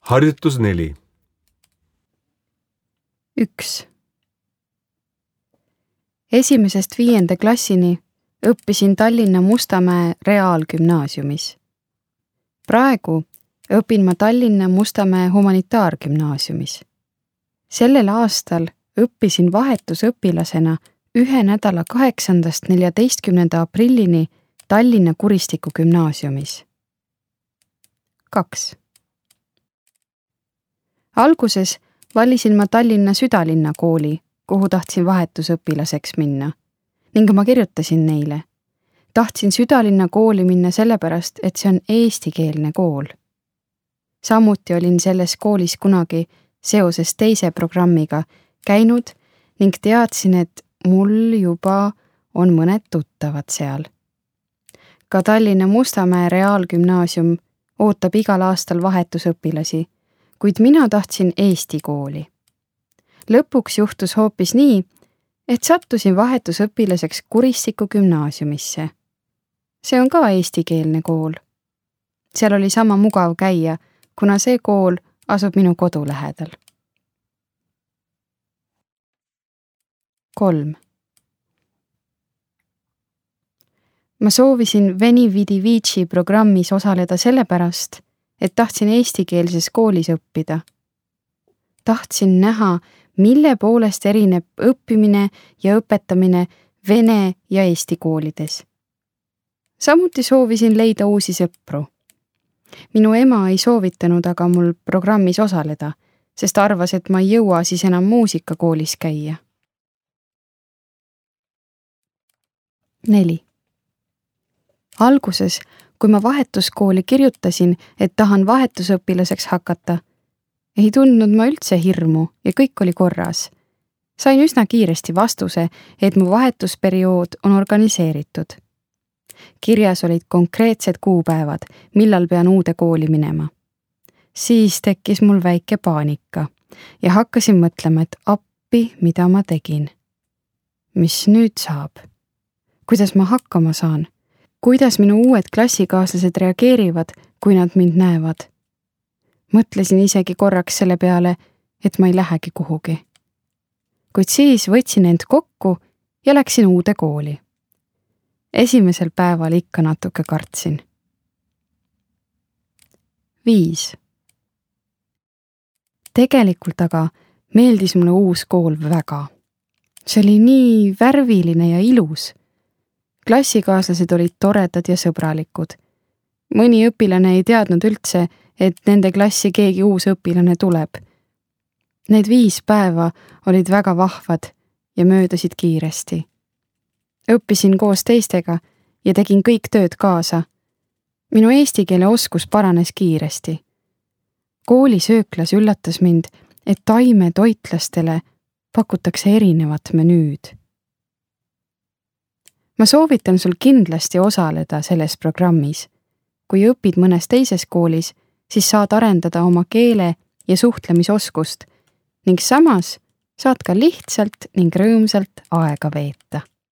Harjutus 4. 1. 1.–5. klassini õppisin Tallinna Mustamäe Reaalgümnaasiumis. Praegu õpin ma Tallinna Mustamäe Humanitaargümnaasiumis. Sellel aastal õppisin vahetusõpilasena 1 nädala 8.–14. aprillini Tallinna Kuristiku gümnaasiumis. 2. Alguses valisin ma Tallinna Südalinna kooli, kuhu tahtsin vahetusõpilaseks minna, ning ma kirjutasin neile. Tahtsin Südalinna kooli minna sellepärast, et see on eestikeelne kool. Samuti olin selles koolis kunagi seoses teise programmiga käinud ning teadsin, et mul juba on mõned tuttavad seal. Ka Tallinna Mustamäe Reaalgümnaasium ootab igal aastal vahetusõpilasi, kuid mina tahtsin Eesti kooli. Lõpuks juhtus hoopis nii, et sattusin vahetusõpilaseks Kuristiku gümnaasiumisse. See on ka eestikeelne kool. Seal oli sama mugav käia, kuna see kool asub minu kodu lähedal. 3. Ma soovisin Veni Vidi Vici programmis osaleda sellepärast, et tahtsin eestikeelses koolis õppida. Tahtsin näha, mille poolest erineb õppimine ja õpetamine vene ja eesti koolides. Samuti soovisin leida uusi sõpru. Minu ema ei soovitanud aga mul programmis osaleda, sest arvas, et ma ei jõua siis enam muusikakoolis käia. 4. Alguses, kui ma vahetuskooli kirjutasin, et tahan vahetusõpilaseks hakata, ei tundnud ma üldse hirmu ja kõik oli korras. Sain üsna kiiresti vastuse, et mu vahetusperiood on organiseeritud. Kirjas olid konkreetsed kuupäevad, millal pean uude kooli minema. Siis tekkis mul väike paanika ja hakkasin mõtlema, et appi, mida ma tegin. Mis nüüd saab? Kuidas ma hakkama saan? Kuidas minu uued klassikaaslased reageerivad, kui nad mind näevad? Mõtlesin isegi korraks selle peale, et ma ei lähegi kuhugi. Kuid siis võtsin end kokku ja läksin uude kooli. Esimesel päeval ikka natuke kartsin. 5. Tegelikult aga meeldis mulle uus kool väga. See oli nii värviline ja ilus. Klassikaaslased olid toredad ja sõbralikud. Mõni õpilane ei teadnud üldse, et nende klassi keegi uus õpilane tuleb. Need 5 päeva olid väga vahvad ja möödasid kiiresti. Õppisin koos teistega ja tegin kõik tööd kaasa. Minu eesti keele oskus paranes kiiresti. Koolisööklas üllatas mind, et taimetoitlastele pakutakse erinevat menüüd. Ma soovitan sul kindlasti osaleda selles programmis. Kui õpid mõnes teises koolis, siis saad arendada oma keele ja suhtlemisoskust ning samas saad ka lihtsalt ning rõõmsalt aega veeta.